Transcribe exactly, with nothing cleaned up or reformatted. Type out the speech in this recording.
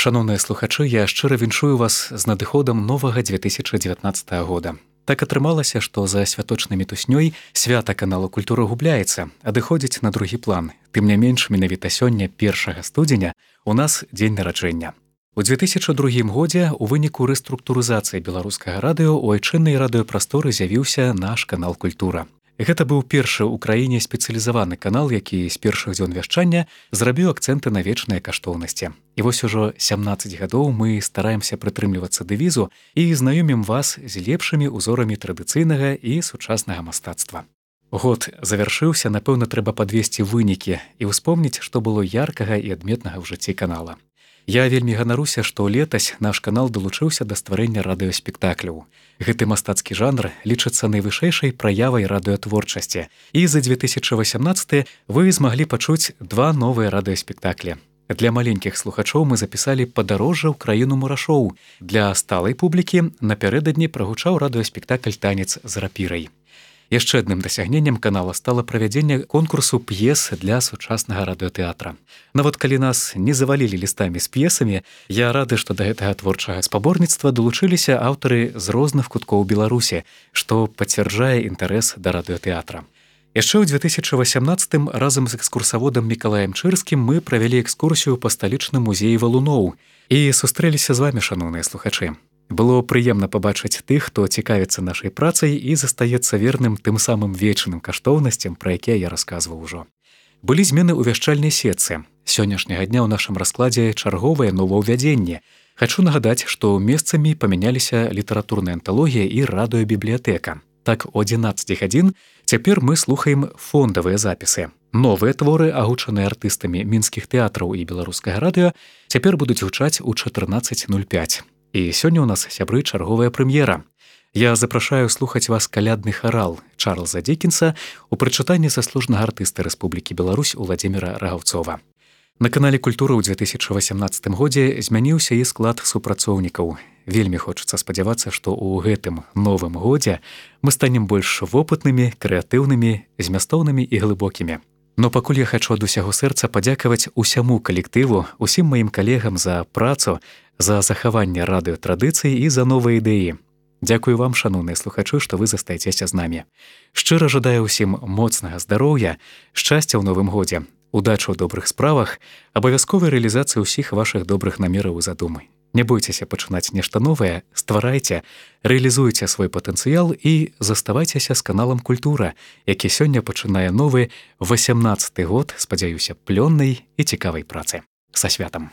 Шановныя слухачы, я шчыра віншую вас з надыходам новага две тысячы дзевятнаццатага года. Так атрымалася, што за святочнай мітуснёй свята канала «Культура» губляецца, адыходзіць на другі план. Тым не менш, менавіта сёння, першага студзеня, у нас дзень нараджэння. У две тысячы другім годзе у выніку рэструктурызацыі беларускага радыё у айчыннай радыёпрасторы з'явіўся наш канал «Культура». Гэта быў першы ў краіне спецыялізаваны канал, які з першых дзён вяшчання зрабіў акцэнты на вечныя каштоўнасці. І вось ужо сямнаццаць гадоў мы стараемся прытрымлівацца дэвізу і знаёмім вас з лепшымі ўзорамі традыцыйнага і сучаснага мастацтва. Год завяршыўся, напэўна, трэба падвесці вынікі і ўспомніць, што было яркага і адметнага ў жыцці канала. Я вельмі ганаруся, што летась наш канал далучыўся да стварэння радыёспектакляў. Гэты мастацкі жанр лічыцца найвышэйшай праявай радыётворчасці. І за две тысячы васямнаццаты вы змаглі пачуць два новыя радыёспектаклі. Для маленькіх слухачоў мы запісалі «Падарожжа ў краіну мурашоў». Для сталай публікі напярэдадні прагучаў радыёспектакль «Танец з рапірай». Яшчэ адным дасягненнем канала стала правядзенне конкурсу п'ес для сучаснага радыётэатра. Нават калі нас не завалілі лістамі з п'есамі, я рады, што да гэтага творчага спаборніцтва далучыліся аўтары з розных куткоў Беларусі, што пацвярджае інтарэс да радыётэатра. Яшчэ ў две тысячы васямнаццатым разам з экскурсаводам Мікалаем Чырскім мы правялі экскурсію па сталічным музеі валуноў і сустрэліся з вамі, шановныя слухачы. Было прыемна пабачыць тых, хто цікавіцца нашай працай і застаецца верным тым самым вечным каштоўнасцям, пра якія я расказваў ужо. Былі змены ў вяшчальнай сетцы. Сённяшняга дня ў нашым раскладзе чарговае новаўвядзенне. Хачу нагадаць, што месцамі памяняліся літаратурная анталогія і радыёбібліятэка. Так, о адзінаццатай гадзін цяпер мы слухаем фондавыя запісы. Новыя творы, агучаныя артыстамі мінскіх тэатраў і беларускага радыё, цяпер будуць гучаць у чатырнаццаць нуль пяць. І сёння ў нас, сябры, чарговая прэм'ера. Я запрашаю слухаць вас калядны харал Чарльза Дікенса у прачытанні заслужанага артыста Рэспублікі Беларусь Уладзіміра Рагаўцова. На канале «Культура» ў две тысячы васямнаццатым годзе змяніўся і склад супрацоўнікаў. Вельмі хочацца спадзявацца, што ў гэтым новым годзе мы станем больш вопытнымі, крэатыўнымі, змястоўнымі і глыбокімі. Но пакуль я хачу ад усяго сэрца падзякаваць усяму калектыву, усім маім калегам за працу, за захаванне радыётрадыцый і за новыя ідэі. Дзякую вам, шановныя слухачы, што вы застаецеся з намі. Шчыра жадаю ўсім моцнага здароўя, шчасця ў новым годзе, удачы ў добрых справах, абавязковай рэалізацыі ўсіх вашых добрых намераў і задумы. Не бойцеся пачынаць нешта новае, стварайце, рэалізуйце свой патэнцыял і заставайцеся з каналам «Культура», які сёння пачынае новы васямнаццаты год, спадзяюся, плённай і цікавай працы. Са святам!